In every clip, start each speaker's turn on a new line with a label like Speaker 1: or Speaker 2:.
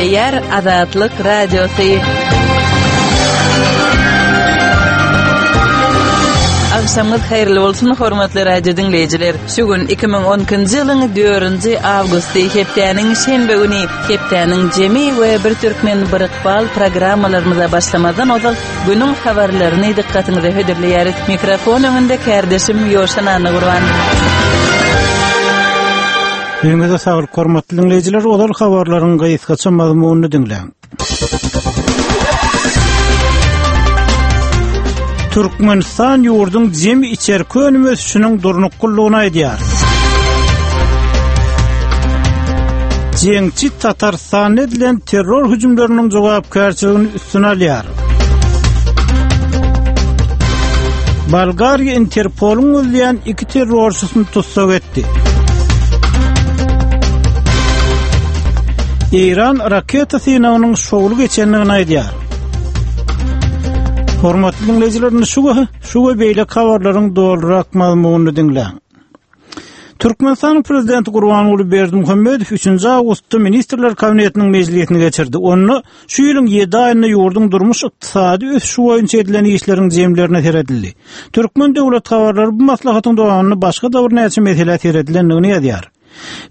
Speaker 1: Gepleýär Azatlyk Radiosy. Agşamyňyz haýyrly bolsun, hormatly radio diňleýjiler. Şu gün 2012-nji ýylyň 4-nji awgusty, hepdäniň şenbe güni, hepdäniň jemi we Bir türkmen bir ykbal programmalarymyza başlamazdan ozal Günüň habarlaryny dykgatyňyza hödürleýäris. Mikrofon öňünde kärdeşim Ýowşan Annagurban.
Speaker 2: Öňüňize saglyk hormatly diňleýjiler, ozal habarlaryň gysgaça mazmunyny diňläň. Türkmenistan ýurduň jemi içerki önüm ösüşiniň durnuklylygyny aýdýar. Jeňçi Tatarystanda edilen terror hüjümleriniň jogapkärçiligini üstüne alýar. Bolgariýa Interpolyň gözleýän iki terrorçysyny tussag etdi. Eýran raketa synagynyň şowly geçendigini aýdýar. Hormatly diňleýjiler, şu we şu we beýleki habarlaryň dolurak mazmunyny diňläň. Türkmenistanyň Prezidenti Gurbanguly Berdimuhamedow üçünji awgustda Ministrler Kabinetiniň mejlisini geçirdi. Onda şu ýylyň ýedi aýynda ýurduň durmuş-ykdysady ösüşi boýunça edilen işleriň jemlerine seredildi. Türkmen döwlet habarlary bu maslahatyň dowamynda başga-da birnäçe meselä seredilendigini ýazýar.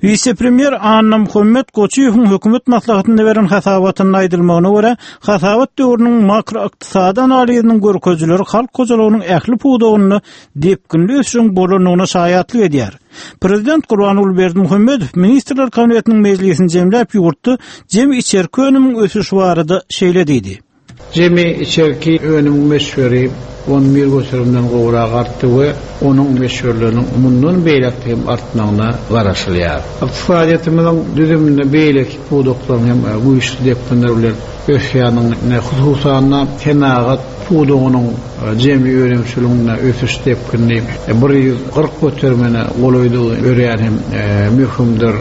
Speaker 2: Wise-premýer Annamuhammet Goçyýewiň hökümet maslahatynda beren hasabatynda aýdylmagyna görä, hasabat döwrüniň makroykdysady analiziniň görkezijileri halk hojalygynyň ähli pudagynda depginli ösüşiň bolandygyna şaýatlyk edýär. Prezident Gurbanguly Berdimuhamedow Ministrler Kabinetiniň mejlisini jemläp, ýurtda jemi içerki önümiň ösüşi barada şeýle diýdi.
Speaker 3: Jemi içerki önümiň möçberi 11 göterimden gowrak artdy we onuň möçberleriniň mundan beýläk hem artmagyna garaşylýar. Ykdysadyýetimiziň düzüminde beýleki pudaklaryň hem güýçli depginler bilen ösýändigini, hususan-da, senagat pudagynyň jemi önümçiliginde ösüş depgini 140 göterimine golaýdygy örän hem möhümdir.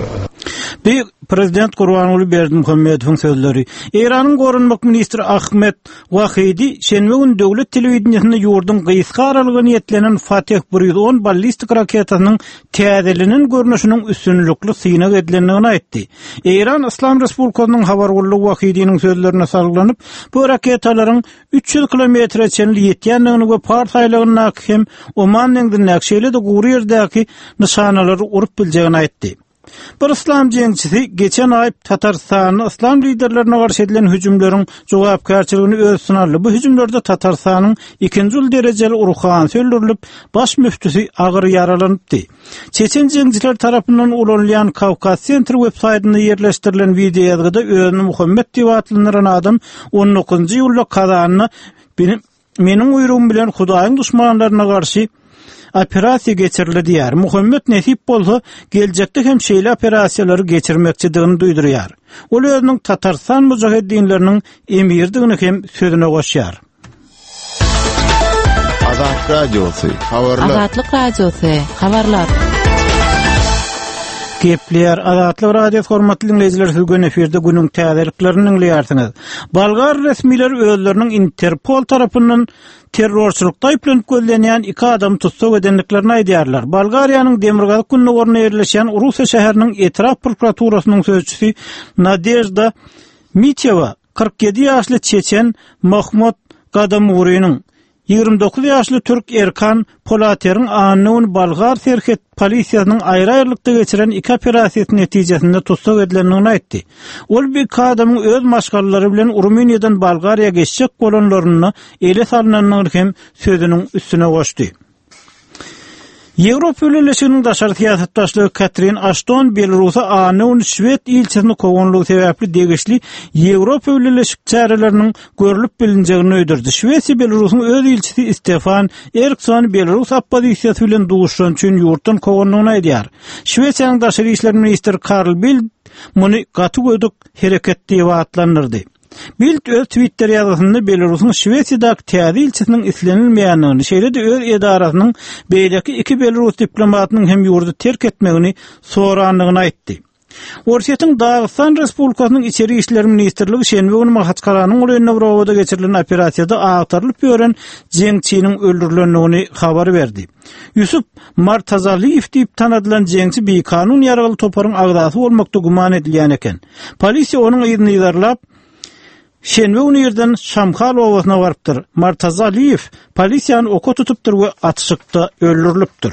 Speaker 2: Bu prezident Gurbanguly Berdimuhamedowyň sözleri. Eýranyň goranmak ministri Ahmed Wahidi şenbe güni döwlet telewideniýesinde ýurduň gysga aralyga niýetlenen Fateh 110 ballistik raketasynyň täzelenen görnüşiniň üstünlikli synag edilendigini aýtdy. Eýran Yslam Respublikasynyň habar gullugy Wahidiniň sözlerine salgylanyp, bu raketalaryň 300 kilometre çenli ýetýändigini we Pars aýlagyndaky hem Oman deňzindäki, şeýle-de gury ýerdäki nyşanalary urup biljegini aýtdy. Bir yslam jeňçisi geçen aý Tatarystanda yslam liderlerine garşy edilen hüjümleriň jogapkärçiligini öz üstüne aldy. Bu hüjümlerde Tatarystanyň ikinji uly derejeli ruhanysy öldürilip, baş müftüsi agyr ýaralanypdy. Çeçen jeňçileri tarapyndan ulanylýan Kawkaz Sentr websaýtynda ýerleşdirilen wideoýazgyda özüni Muhammet diýip atlandyran adam on dokuzynjy iýulda Kazanda Meniň buýrugym bilen Hudaýyň duşmanlaryna garşy operasiýa geçirildi diýýär. Muhammet nesip bolsa, geljekde hem şeýle operasiýalary geçirmekçidigini duýdurýar. Ol özüniň Tatarystan mujaheddinleriniň emiridigini hem sözüne goşýar.
Speaker 4: Azat Radiosy, habarlar.
Speaker 1: Azatlyk Radiosy, habarlar.
Speaker 2: Gepleýär Azatlyk Radiosy hormatly diňleýjiler siz göni efirde günüň täzeliklerini diňleýärsiňiz. Bolgar resmileri özleriniň Interpol tarapyndan terrorçylykda aýyplanyp gözlenýän iki adamy tussag edendiklerini aýdýarlar. Bolgariýanyň demirgazyk-gündogarynda ýerleşýän Rusa şäheriniň etrap prokuraturasynyň sözçüsi Nadežda Mitewa 47 ýaşly çeçen Mahmut Gadamurynyň, 29 ýaşly türk Erkan Polateriň anna güni bolgar serhet polisiýasynyň aýry-aýrylykda geçiren iki operasiýasy netijesinde tussag edilendigini aýtdy. Ol bu iki adamyň öz maşgalalary bilen Rumyniýadan Bolgariýa geçjek bolanlarynda ele salnandygyny hem sözüniň üstüne goşdy. Ýewropa Bileleşiginiň daşary syýasat başlygy Katrin Aşton Belarusa anna güni şwed ilçisini kowanlygy sebäpli degişli Ýewropa Bileleşik çäreleriniň görlüp bilinjegini duýdurdy. Şwesiýa Belarusyň öz ilçisi Stefan Eriksony belarus oppozisiýasy bilen duşuşany üçin ýurtdan kowandygyny aýdýar. Şwesiýanyň daşary işler ministri Karl Bildt muny gaty gödek hereket diýip atlandyrdy. Bildt öz Twitter ýazgysynda Belarusyň Şwesiýadaky täze ilçisiniň islenilmeýändigini, şeýle-de öz edarasynyň beýleki iki belarus diplomatynyň hem ýurdy terk etmegini sorandygyny aýtdy. Orsýetiň Dagystan Respublikasynyň Içeri işler ministrligi şenbe güni Mahaçkalanyň golaýynda bir obada geçirilen operasiýada agtarylyp ýören jeňçiniň öldürilendigini habar berdi. Ýusup Martazaliýew diýip tanadylan jeňçi bikanun ýaragly toparyň agzasy bolmakda güman edilýän eken. Polisiýa onuň yzyny yzarlap, şenbe güni irden Şamhal obasyna barypdyr. Martazaliýew polisiýany oka tutupdyr we atyşykda öldürilipdir.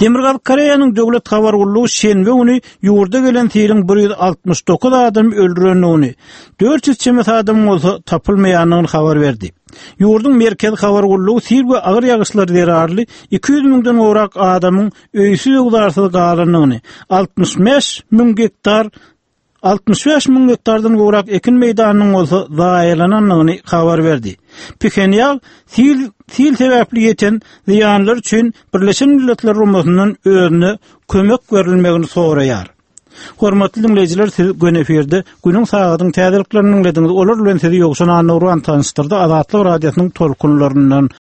Speaker 2: Demirgazyk Koreýanyň döwlet habar gullugy şenbe güni ýurda gelen siliň 169 adamy öldürendigini, 400 çemesi adamyň bolsa tapylmaýandygyny habar berdi. Ýurduň Merkezi habar gullugy sil we agyr ýagyşlar zerarly 200 müňden gowrak adamyň öýsüz-öwzarsyz galandygyny, 65 müň gektar 65 müň gektardan gowrak ekin meýdanynyň bolsa zaýalanandygyny habar berdi. Phenýan sil sil sebäpli ýeten zyýanlar üçin Birleşen Milletler Guramasyndan özüne kömek berilmegini soraýar. Hormatly diňleýjiler, siz göni efirde günüň sagadyň täzeliklerini diňlediňiz. Olar bilen sizi Ýowşan Annagurban tanyşdyrdy. Azatlyk Radiosynyň tolkunlaryndan.